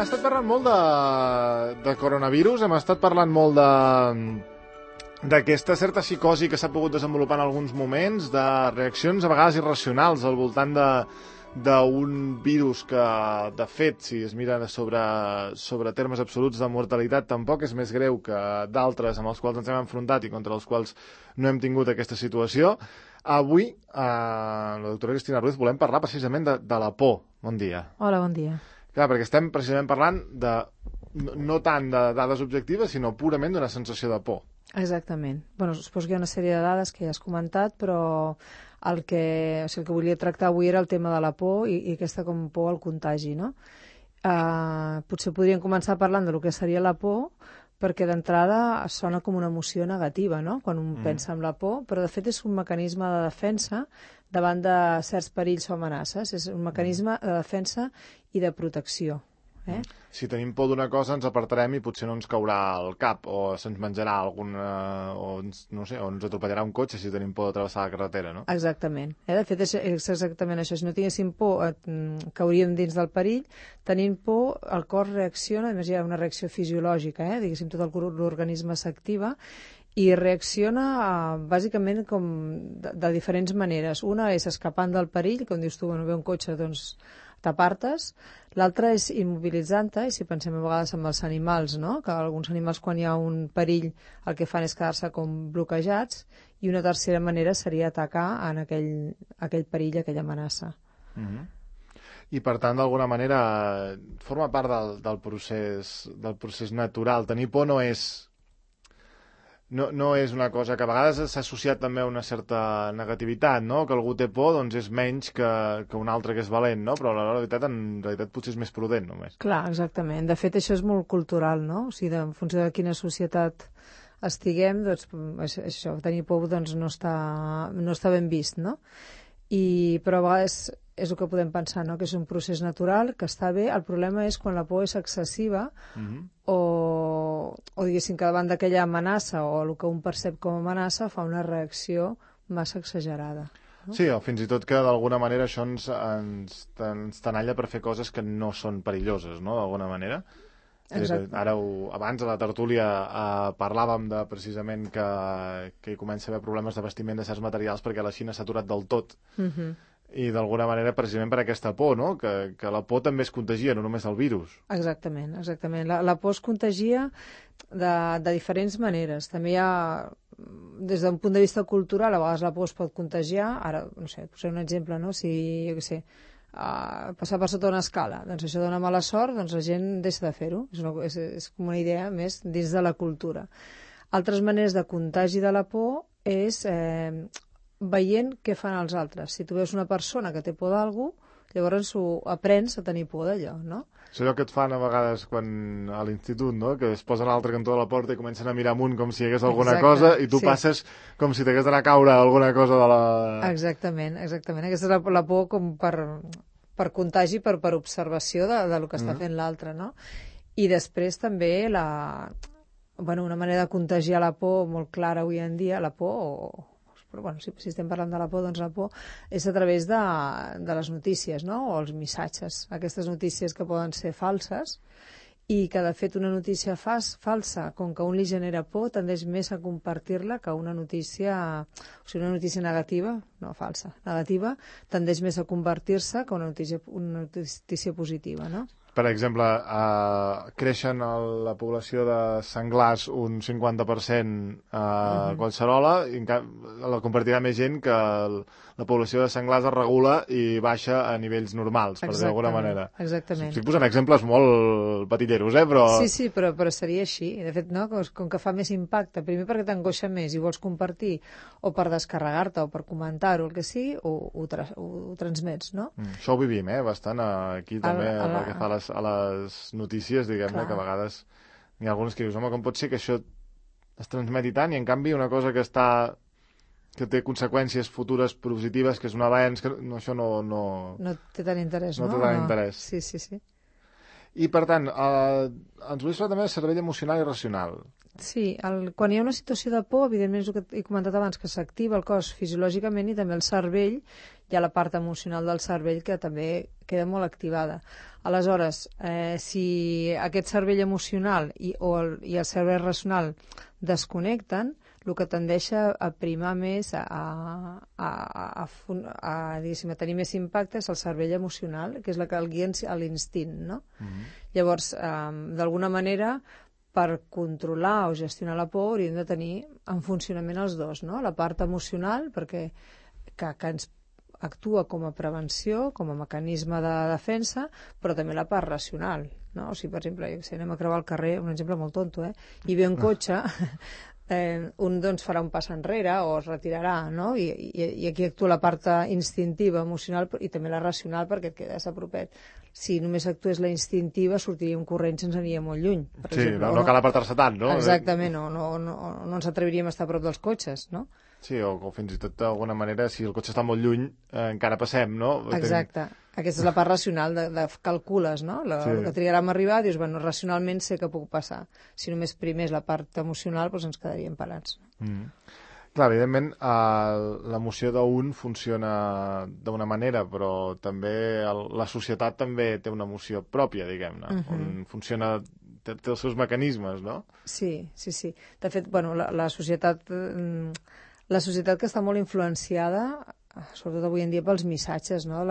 estat parlant molt de coronavirus, hem estat parlant molt d'aquesta certa psicosi que s'ha pogut desenvolupar en alguns moments, de reaccions a vegades irracionals al voltant d'un virus que, de fet, si es mira sobre termes absoluts de mortalitat, tampoc és més greu que d'altres amb els quals ens hem enfrontat i contra els quals no hem tingut aquesta situació. Avui, la doctora Cristina Ruiz, volem parlar precisament de la por. Bon dia. Hola, bon dia. Clar, perquè estem precisament parlant no tant de dades objectives, sinó purament d'una sensació de por. Exactament. Bueno, suposo que hi ha una sèrie de dades que ja has comentat, però el que volia tractar avui era el tema de la por i aquesta com por al contagi, no? Potser podríem començar parlant del que seria la por, perquè d'entrada sona com una emoció negativa, no?, quan un pensa en la por, però de fet és un mecanisme de defensa davant de certs perills o amenaces. És un mecanisme de defensa i de protecció. Si tenim por d'una cosa, ens apartarem i potser no ens caurà al cap, o se'ns menjarà no sé, o ens atropellarà un cotxe si tenim por de travessar la carretera, no? Exactament. De fet, és exactament això. Si no tinguéssim por, cauríem dins del perill. Tenint por, el cos reacciona, a més hi ha una reacció fisiològica, diguéssim, tot l'organisme s'activa i reacciona bàsicament com de diferents maneres. Una és escapant del perill, com dius tu, quan ve un cotxe, doncs t'apartes. L'altra és immobilitzant-te, i si pensem a vegades amb els animals, no?, que alguns animals quan hi ha un perill el que fan és quedar-se com bloquejats, i una tercera manera seria atacar en aquell perill, aquella amenaça. I per tant, d'alguna manera, forma part del procés natural. Tenir por no és una cosa que a vegades s'ha associat també a una certa negativitat, no?, que algú té por, doncs és menys que un altre que és valent, no?, però en realitat potser és més prudent només. Clar, exactament. De fet, això és molt cultural, no? O sigui, en funció de quina societat estiguem, doncs això, tenir por doncs, no està ben vist, no? Però a vegades és el que podem pensar, no?, que és un procés natural, que està bé. El problema és quan la por és excessiva o diguéssim que davant d'aquella amenaça o el que un percep com a amenaça fa una reacció massa exagerada. No? Sí, o fins i tot que d'alguna manera això ens tenalla per fer coses que no són perilloses, no?, d'alguna manera. Abans a la tertúlia parlàvem precisament que hi comença a haver problemes de vestiment de certs materials perquè la Xina s'ha aturat del tot. I d'alguna manera precisament per aquesta por, no?, que la por també es contagia, no només el virus. Exactament. La por es contagia de diferents maneres. També hi ha, des d'un punt de vista cultural, a vegades la por es pot contagiar. Ara, no sé, posaré un exemple, no?, si, jo què sé, passar per sota una escala, doncs això dona mala sort, doncs la gent deixa de fer-ho. És com una idea més dins de la cultura. Altres maneres de contagi de la por és veient què fan els altres. Si tu veus una persona que té por d'algú, llavors aprens a tenir por d'allò, no? És allò que et fan a vegades quan a l'institut, no?, que es posen a l'altre cantó de la porta i comencen a mirar amunt com si hi hagués alguna cosa i tu passes com si t'hagués d'anar a caure alguna cosa de la... Exactament. Aquesta és la por com per contagi, per observació del que està fent l'altre, no? I després també una manera de contagiar la por molt clara avui en dia, la por però bueno, si estem parlant de la por, doncs la por és a través de les notícies, no?, o els missatges, aquestes notícies que poden ser falses i que de fet una notícia falsa, com que a un li genera por, tendeix més a compartir-la que una notícia, o sigui, una notícia negativa, no falsa, negativa, tendeix més a convertir-se que una notícia positiva, no? Per exemple, creixen la població de senglars un 50% a Collserola i la compartirà més gent que la població de senglars es regula i baixa a nivells normals, per dir d'alguna manera. Exactament. Estic posant exemples molt patilleros, però... Sí, però seria així. De fet, no, com que fa més impacte, primer perquè t'angoixa més i vols compartir, o per descarregar-te, o per comentar-ho, el que sigui, ho transmets, no? Això ho vivim, bastant, aquí també, pel que fa a les notícies, diguem-ne, que a vegades hi ha algunes que dius, home, com pot ser que això es transmeti tant i en canvi una cosa que té conseqüències futures positives, que és un avenç, que això no té té tant interès, no? No té tant interès. Sí. I, per tant, ens volies parlar també del cervell emocional i racional. Sí, quan hi ha una situació de por, evidentment és el que he comentat abans, que s'activa el cos fisiològicament i també el cervell, hi ha la part emocional del cervell que també queda molt activada. Aleshores, si aquest cervell emocional i el cervell racional desconnecten, el que tendeix a primar més, diguéssim, a tenir més impacte és el cervell emocional, que és la que el guia a l'instint, no? Llavors, d'alguna manera, per controlar o gestionar la por hauríem de tenir en funcionament els dos, no? La part emocional, que ens actua com a prevenció, com a mecanisme de defensa, però també la part racional, no? O sigui, per exemple, si anem a creuar el carrer, un exemple molt tonto, i ve un cotxe, un doncs farà un pas enrere o es retirarà, no? I aquí actua la part instintiva, emocional i també la racional perquè et quedes a propet. Si només actués la instintiva sortiríem corrents i ens aniria molt lluny. Sí, exemple, no cal apartar-se tant, no? Exactament, no ens atreviríem a estar a prop dels cotxes, no? Sí, o fins i tot d'alguna manera, si el cotxe està molt lluny, encara passem, no? Exacte. Aquesta és la part racional, de calcules, no? Que trigarem a arribar, dius, bueno, racionalment sé que puc passar. Si només primés la part emocional, doncs ens quedaríem parats. Clar, evidentment, l'emoció d'un funciona d'una manera, però també la societat també té una emoció pròpia, diguem-ne, on funciona, té els seus mecanismes, no? Sí. De fet, bueno, la societat que està molt influenciada, sobretot avui en dia pels missatges, no?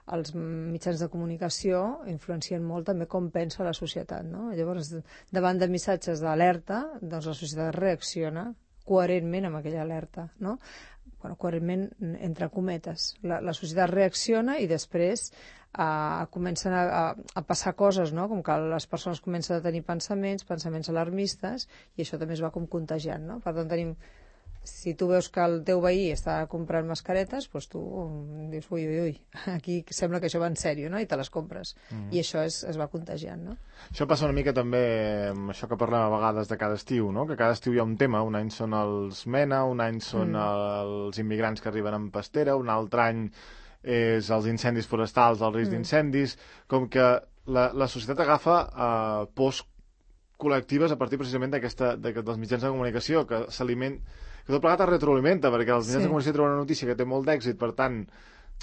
Els mitjans de comunicació influencien molt també com pensa la societat, no? Llavors, davant de missatges d'alerta, doncs la societat reacciona coherentment amb aquella alerta, no? Bueno, coherentment entre cometes. La societat reacciona i després comencen a passar coses, no? Com que les persones comencen a tenir pensaments alarmistes, i això també es va com contagiant, no? Per tant, si tu veus que el teu veí està comprant mascaretes, doncs tu dius, ui, aquí sembla que això va en sèrio, no? I te les compres. I això es va contagiant, no? Això passa una mica també amb això que parlem a vegades de cada estiu, no? Que cada estiu hi ha un tema. Un any són els MENA, un any són els immigrants que arriben en pastera, un altre any és els incendis forestals, el risc d'incendis, com que la societat agafa pors col·lectives a partir precisament dels mitjans de comunicació, que tot plegat es retroalimenta, perquè els mitjans de comunicació treuen una notícia que té molt d'èxit, per tant,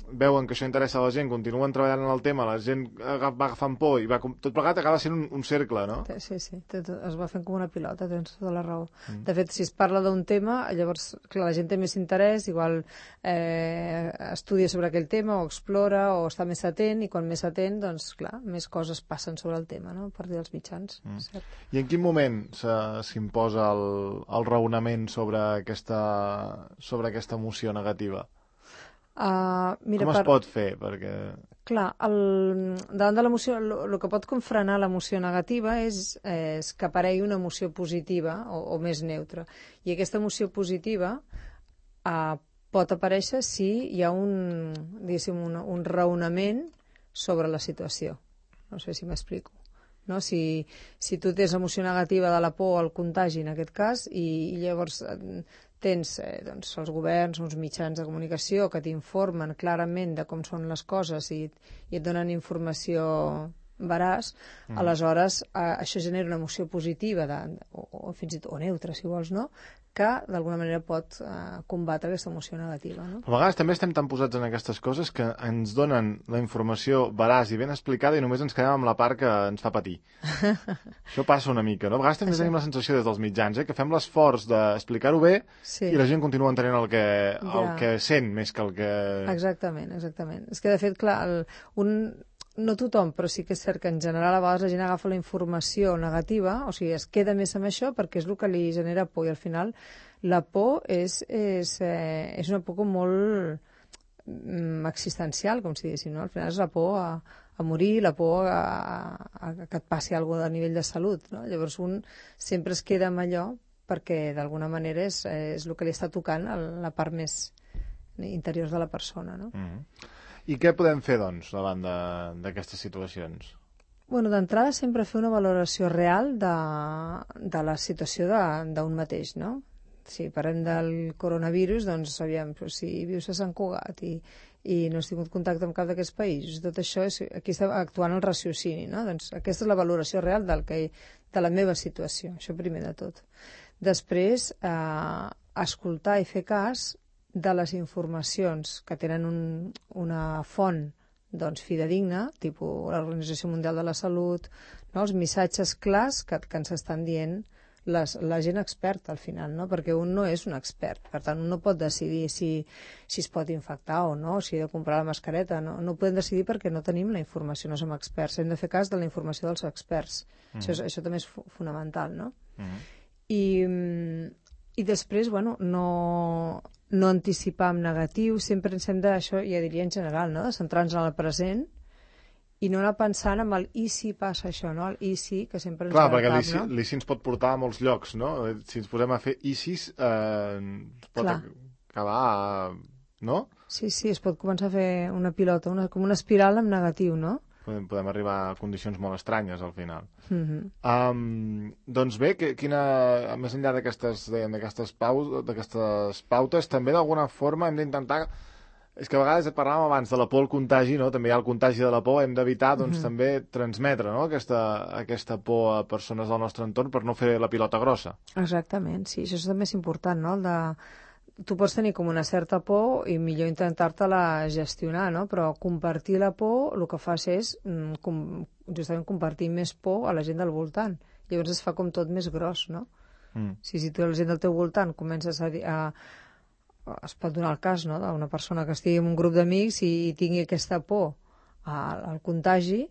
veuen que això interessa a la gent, continuen treballant en el tema, la gent va agafant por, i tot plegat acaba sent un cercle, no? Sí, es va fent com una pilota, tens tota la raó. De fet, si es parla d'un tema, llavors, clar, la gent té més interès, igual estudia sobre aquell tema, o explora, o està més atent, i quan més atent, doncs, clar, més coses passen sobre el tema, no?, a partir dels mitjans. I en quin moment s'imposa el raonament sobre aquesta emoció negativa? Mira, com es pot fer? Perquè... Clar, davant de l'emoció, el que pot frenar l'emoció negativa és que aparegui una emoció positiva o més neutra. I aquesta emoció positiva pot aparèixer si hi ha un raonament sobre la situació. No sé si m'explico. No? Si tu tens emoció negativa de la por o el contagi, en aquest cas, i llavors tens els governs, uns mitjans de comunicació que t'informen clarament de com són les coses i et donen informació veraç, aleshores això genera una emoció positiva o fins i tot neutra, si vols, no?, que d'alguna manera pot combatre aquesta emoció negativa, no? A vegades també estem tan posats en aquestes coses que ens donen la informació veraç i ben explicada i només ens quedem amb la part que ens fa patir. Això passa una mica, no? A vegades també tenim la sensació des dels mitjans que fem l'esforç d'explicar-ho bé i la gent continua entenent el que sent més que el que... Exactament. És que, de fet, clar, no tothom, però sí que és cert que en general a vegades la gent agafa la informació negativa, o sigui, es queda més amb això perquè és el que li genera por, i al final la por és una por com molt existencial, com si diguéssim, no? Al final és la por a morir, la por a que et passi alguna cosa a nivell de salut, no? Llavors un sempre es queda amb allò perquè d'alguna manera és el que li està tocant a la part més interior de la persona, no? I què podem fer, doncs, davant d'aquestes situacions? Bueno, d'entrada sempre fer una valoració real de la situació d'un mateix, no? si parlem del coronavirus, doncs aviam, però si vius a Sant Cugat i no has tingut contacte amb cap d'aquests països, tot això, aquí està actuant el raciocini, no? Doncs aquesta és la valoració real de la meva situació, això primer de tot. Després, escoltar i fer cas de les informacions que tenen una font doncs, fidedigna, tipus l'Organització Mundial de la Salut, no? Els missatges clars que ens estan dient la gent experta al final, no? Perquè un no és un expert, per tant un no pot decidir si es pot infectar o no, si he de comprar la mascareta, no ho podem decidir perquè no tenim la informació, no som experts, hem de fer cas de la informació dels experts. Això també és fonamental, no? I després, bueno, no anticipar en negatiu, sempre ens hem de, això ja diria en general, no? De centrar-nos en el present i no anar pensant en el i si passa això, no? El i si, que sempre ens va al cap, no? Clar, perquè l'ICI ens pot portar a molts llocs, no? Si ens posem a fer ICIs, pot acabar, no? Sí, es pot començar a fer una pilota, com una espiral en negatiu, no? Podem arribar a condicions molt estranyes, al final. Doncs bé, més enllà d'aquestes pautes, també d'alguna forma hem d'intentar... És que a vegades parlàvem abans de la por al contagi, no? També hi ha el contagi de la por, hem d'evitar doncs, també transmetre, no? aquesta por a persones del nostre entorn per no fer la pilota grossa. Exactament, sí, això també és important, no? Tu pots tenir com una certa por i millor intentar-te-la gestionar, no? Però compartir la por el que fas és justament compartir més por a la gent del voltant. Llavors es fa com tot més gros, no? Si tu a la gent del teu voltant comences es pot donar el cas, no?, d'una persona que estigui en un grup d'amics i tingui aquesta por al contagi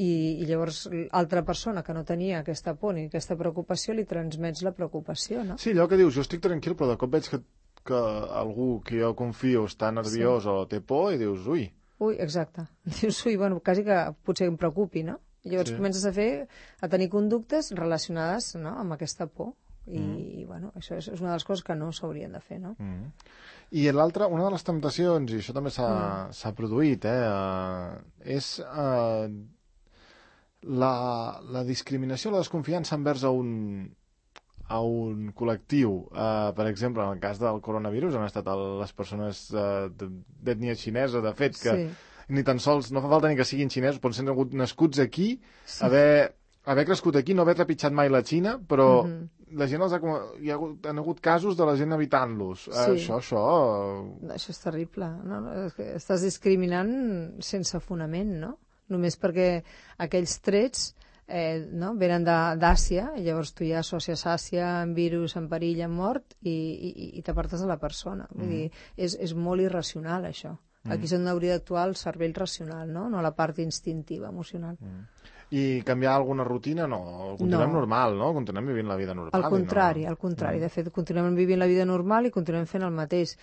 i llavors l'altra persona que no tenia aquesta por ni aquesta preocupació li transmets la preocupació, no? Sí, allò que dius, jo estic tranquil, però de cop veig que algú que jo confio està nerviós o té por i dius, ui. Ui, exacte. Dius, ui, bueno, quasi que potser em preocupi, no? I llavors comences a tenir conductes relacionades, no?, amb aquesta por. I bueno, això és una de les coses que no s'haurien de fer, no? I l'altra, una de les temptacions, i això també s'ha produït, és la discriminació, la desconfiança envers a un col·lectiu. Per exemple, en el cas del coronavirus han estat les persones d'ètnia xinesa, de fet, que ni tan sols, no fa falta ni que siguin xinesos, poden ser nascuts aquí, haver crescut aquí, no haver trepitjat mai la Xina, però la gent han hagut casos de la gent evitant-los. Això és terrible, no? Estàs discriminant sense fonament, no? Només perquè aquells trets venen d'Àsia, i llavors tu ja associes Àsia amb virus, en perill, en mort, i t'apartes de la persona. Vull dir, és molt irracional, això. Aquí és on hauria d'actuar el cervell racional, no la part instintiva, emocional. I canviar alguna rutina, no. Continuem normal, no? Continuem vivint la vida normal. Al contrari. De fet, continuem vivint la vida normal i continuem fent el mateix.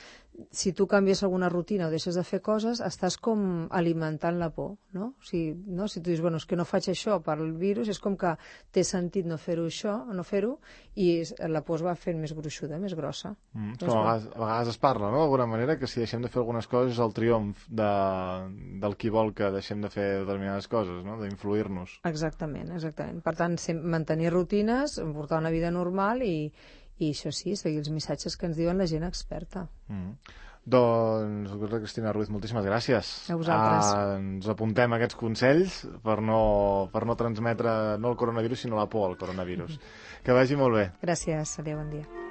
Si tu canvies alguna rutina o deixes de fer coses, estàs com alimentant la por, no? Si tu dius, bueno, és que no faig això per el virus, és com que té sentit no fer-ho això, no fer-ho, i la por es va fent més gruixuda, més grossa. A vegades es parla, no?, d'alguna manera, que si deixem de fer algunes coses és el triomf del qui vol que deixem de fer determinades coses, no?, d'influir-nos. Exactament. Per tant, mantenir rutines, portar una vida normal i això sí, seguir els missatges que ens diuen la gent experta. Doncs, doctora Cristina Ruiz, moltíssimes gràcies. A vosaltres. Ens apuntem aquests consells per no transmetre no el coronavirus, sinó la por al coronavirus. Que vagi molt bé. Gràcies, adéu, bon dia.